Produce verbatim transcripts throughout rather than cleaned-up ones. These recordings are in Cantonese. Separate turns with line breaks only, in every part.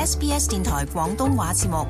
S B S 電台廣東話節目。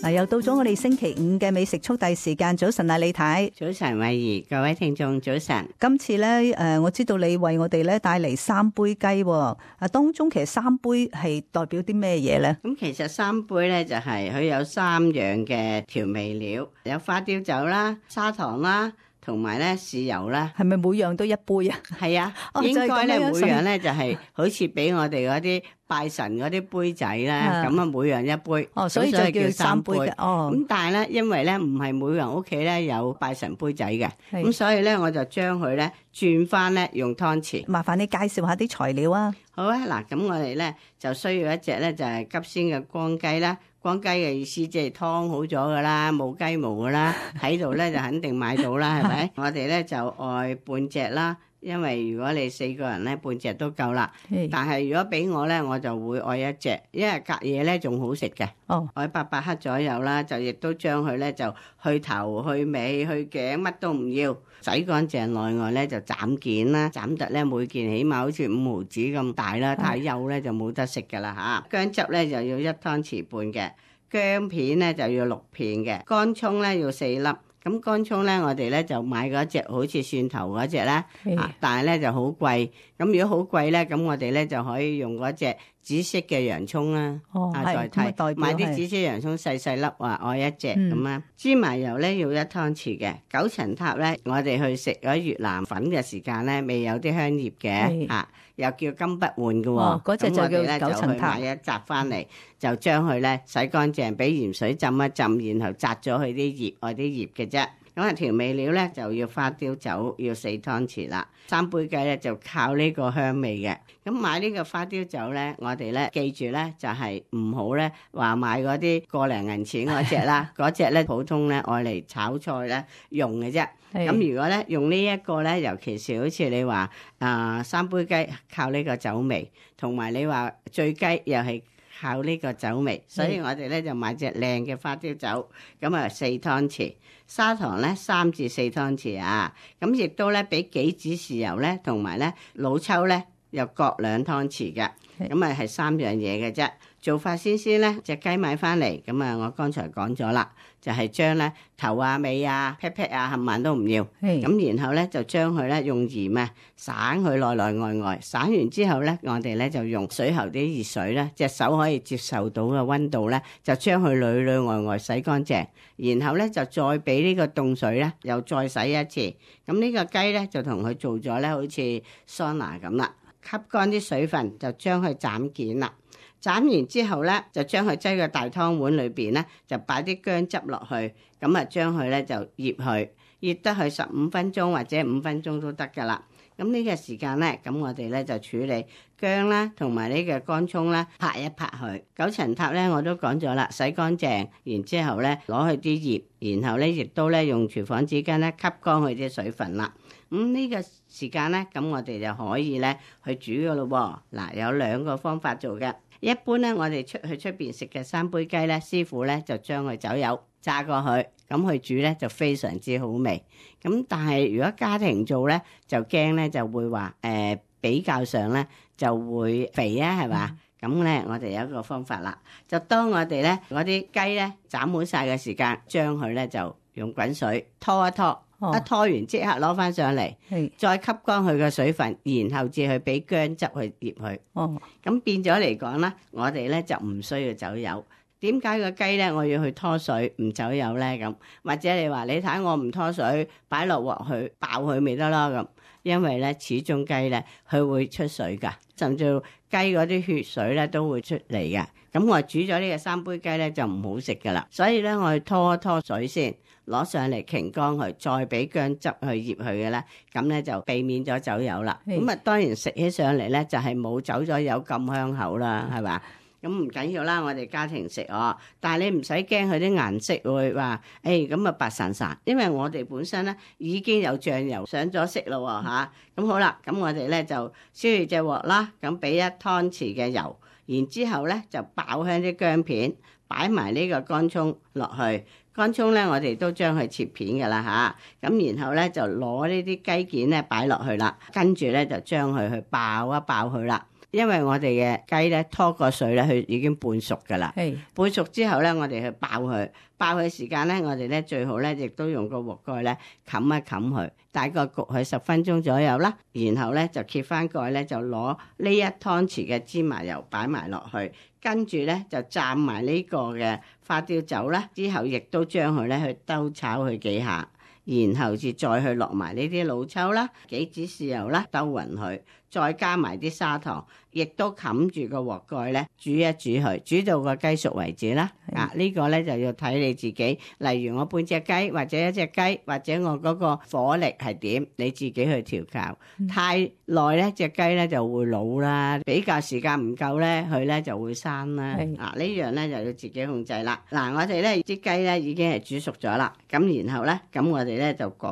嗱，又到咗我哋星期五嘅美食速遞時間。早晨啊，李太。
早晨，慧儀，各位聽眾早晨。
今次咧，誒，我知道你為我哋咧帶嚟三杯雞，啊，當中其實三杯係代表啲咩嘢咧？
咁其實三杯咧就係佢有三樣嘅調味料，有花雕酒啦、砂糖啦，同埋咧豉油啦。係咪每樣都一杯啊？係啊，哦，應該咧每樣咧就係好似俾我哋嗰啲拜神嗰啲杯仔咧，咁啊每樣一杯，哦，所以就叫三杯嘅。哦，咁但係咧，因為咧唔係每個人屋企咧有拜神杯仔嘅，咁所以咧我就將佢咧轉翻咧用湯匙。麻煩你介紹下啲材料啊。好啊，嗱，咁我哋咧就需要一隻咧就係急鮮嘅光雞啦。光雞嘅意思即係湯好咗噶啦，冇雞毛噶啦，喺度咧就肯定買到啦，係咪？我哋咧就愛半隻啦。因為如果你四個人咧，半隻都夠啦。但係如果俾我咧，我就會愛一隻，因為隔夜咧仲好食嘅。哦，愛八百克左右啦，就亦都將佢咧就去頭、去尾、去頸，乜都唔要，洗乾淨內外咧就斬件啦，斬得咧每件起碼好似五毫子咁大啦，太幼咧就冇得食噶啦嚇。薑汁咧就要一湯匙半嘅，薑片咧就要六片嘅，乾葱咧要四粒。咁乾葱咧，我哋咧就買嗰隻好似蒜頭嗰隻啦，啊，但係咧就好貴。咁如果好貴咧，咁我哋咧就可以用嗰隻紫色嘅洋葱啦，哦，啊代替買啲紫色洋葱細細粒，話愛一隻咁啊。芝麻油咧要一湯匙嘅，九層塔咧，我哋去食咗越南粉嘅時間咧，未有啲香葉嘅，啊，又叫金不換嘅喎，嗰隻就叫九層塔。咁我哋咧就去買一紮翻嚟，就將佢咧洗乾淨，俾鹽水浸一浸，然後摘咗佢啲葉，愛啲葉嘅啫。咁啊調味料咧就要花雕酒要四湯匙啦，三杯雞咧就靠呢個香味嘅。咁買呢個花雕酒咧，我哋咧記住咧就係唔好咧話買嗰啲個零銀錢嗰隻啦，嗰隻咧普通咧愛嚟炒菜咧用嘅啫。咁如果咧用呢一個咧，尤其是好似你話啊、呃、三杯雞靠呢個酒味，同埋你話醉雞又係靠呢個酒味，所以我哋咧就買隻靚嘅花雕酒，咁啊四湯匙，砂糖咧三至四湯匙啊，咁亦都咧俾幾指豉油咧，同埋咧老抽咧又各兩湯匙嘅，咁啊係三樣嘢嘅啫。做法先先咧，隻雞買翻嚟，咁啊我剛才講咗啦，就係將咧頭啊尾啊 pat pat 啊冚唪唥都唔要，咁然後咧就將佢咧用鹽啊省佢內內外外，省完之後咧，我哋咧就用水喉啲熱水咧，隻手可以接受到嘅溫度咧，就將佢裏裏外外洗乾淨，然後咧就再俾呢個凍水咧，又再洗一次，咁呢個雞咧就同佢做咗咧，好似桑拿咁啦，吸乾啲水分，就將佢斬件啦。斬完之後咧，就將佢擠個大湯碗裏邊咧，就擺啲薑汁落去，咁啊將佢咧就醃佢，醃得佢十五分鐘或者五分鐘都得噶啦。咁呢個時間咧，咁我哋咧就處理薑啦，同埋呢個乾葱啦，拍一拍佢。九層塔咧我都講咗啦，洗乾淨，然之後咧攞去啲葉，然後咧亦都咧用廚房紙巾咧吸乾佢啲水分啦。咁呢個時間咧，咁我哋就可以咧去煮噶咯喎。嗱，有兩個方法做嘅。一般咧，我哋出去出邊食嘅三杯雞咧，師傅咧就將佢酒油炸過去，咁去煮咧就非常之好味。咁但係如果家庭做咧，就驚咧就會話誒、呃、比較上咧就會肥啊，係嘛？咁咧、嗯、我哋有一個方法啦，就當我哋咧嗰啲雞咧斬好晒嘅時間，將佢咧就用滾水拖一拖。哦、一拖完即刻攞翻上嚟，再吸乾佢嘅水分，然後至去俾薑汁去醃佢。哦，咁變咗嚟講啦，我哋咧就唔需要走油。點解個雞咧我要去拖水唔走油咧？咁或者你話你睇我唔拖水，擺落鑊去爆佢咪得咯？咁因為咧始終雞咧佢會出水噶，甚至雞嗰啲血水咧都會出嚟嘅。咁我煮咗呢個三杯雞咧就唔好食噶啦，所以咧我去拖一拖水先。攞上嚟擎乾佢，再俾薑汁去醃佢嘅咧，咁咧就避免咗走油啦。咁啊當然食起上嚟咧就係冇走咗油咁香口啦，係嘛？咁唔緊要啦，我哋家庭食哦。但係你唔使驚佢啲顏色會話，誒咁啊白散散，因為我哋本身咧已經有醬油上咗色咯喎嚇。咁好啦，咁我哋咧就燒熱隻鑊啦，咁俾一湯匙嘅油，然之後咧就爆香啲薑片，擺埋呢個乾葱落去。乾葱咧，我哋都將佢切片噶啦吓，咁然後咧就攞呢啲雞件咧擺落去啦，跟住咧就將佢去爆一爆佢啦。因為我哋嘅雞咧拖過水咧，佢已經半熟噶啦。係半熟之後咧，我哋去爆佢，爆佢時間咧，我哋咧最好咧亦都用個鑊蓋咧冚一冚佢，大概焗佢十分鐘左右啦。然後咧就揭翻蓋咧，就攞呢一湯匙嘅芝麻油擺埋落去，跟住咧就蘸埋呢個嘅花雕酒啦。之後亦都將佢咧去兜炒佢幾下，然後至再去落埋呢啲老抽啦、幾支豉油啦，兜勻佢。再加埋啲砂糖，亦都冚住個鑊蓋咧，煮一煮佢，煮到個雞熟為止啦。啊，呢個咧就要睇你自己，例如我半隻雞或者一隻雞，或者我嗰個火力係點，你自己去調校。嗯、太耐咧，隻雞咧就會老啦；比較時間唔夠咧，佢咧就會生啦。啊，呢樣咧就要自己控制啦。嗱，我哋咧啲雞咧已經係煮熟咗啦，咁然後咧，咁我哋咧就改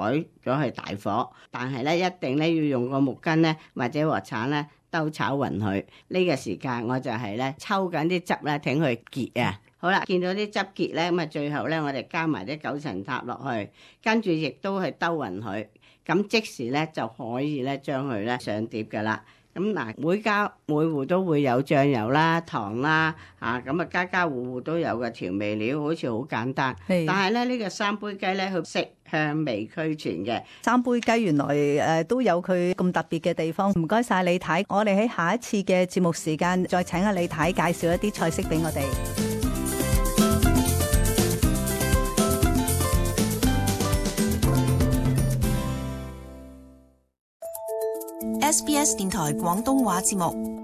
咗去大火，但係咧一定咧要用個木棍咧或者鑊鏟咧兜炒勻佢。呢個時間我就係咧抽緊啲汁咧，挺佢結啊。好啦，見到啲汁結咧，咁啊最後咧我哋加埋啲九層塔落去，跟住亦都係兜勻佢，咁即時咧就可以咧將佢咧上碟噶啦。咁嗱，每家每戶都會有醬油啦、糖啦，嚇咁啊家家戶戶都有個調味料，好似好簡單。但係咧呢個三杯雞咧，佢色香味俱全嘅。
三杯雞原來誒都有佢咁特別嘅地方。唔該晒李太，我哋喺下一次嘅節目時間再請阿李太介紹一啲菜式俾我哋。
S B S 電台廣東話節目。